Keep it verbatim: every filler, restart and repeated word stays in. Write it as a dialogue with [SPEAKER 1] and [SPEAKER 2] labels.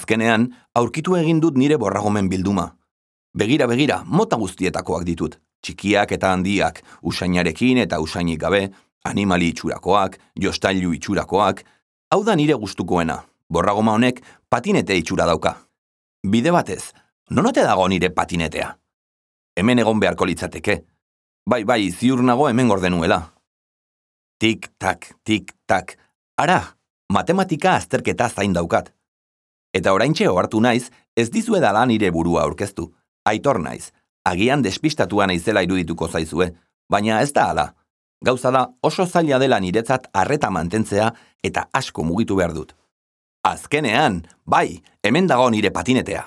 [SPEAKER 1] Azkenean, aurkitu egin dut nire borragomen bilduma. Begira, begira, mota guztietakoak ditut. Txikiak eta handiak, usainarekin eta usainik gabe, animali itxurakoak, jostailu itxurakoak. Hau da nire gustukoena. Borragoma honek patinete itxura dauka. Bide batez, non ote dago nire patinetea? Hemen egon beharko litzateke. Bai, bai, ziur nago hemen gordenuela. Tik-tak, tik-tak. Ara, matematika azterketa zain daukat. Eta oraintxe ohartu naiz, ez dizuedala nire burua aurkeztu. Aitor naiz, agian despistatua naizela irudituko zaizue, baina ez da hala. Gauza da oso zaila dela niretzat arreta mantentzea eta asko mugitu behar dut. Azkenean, bai, hemen dago nire patinetea.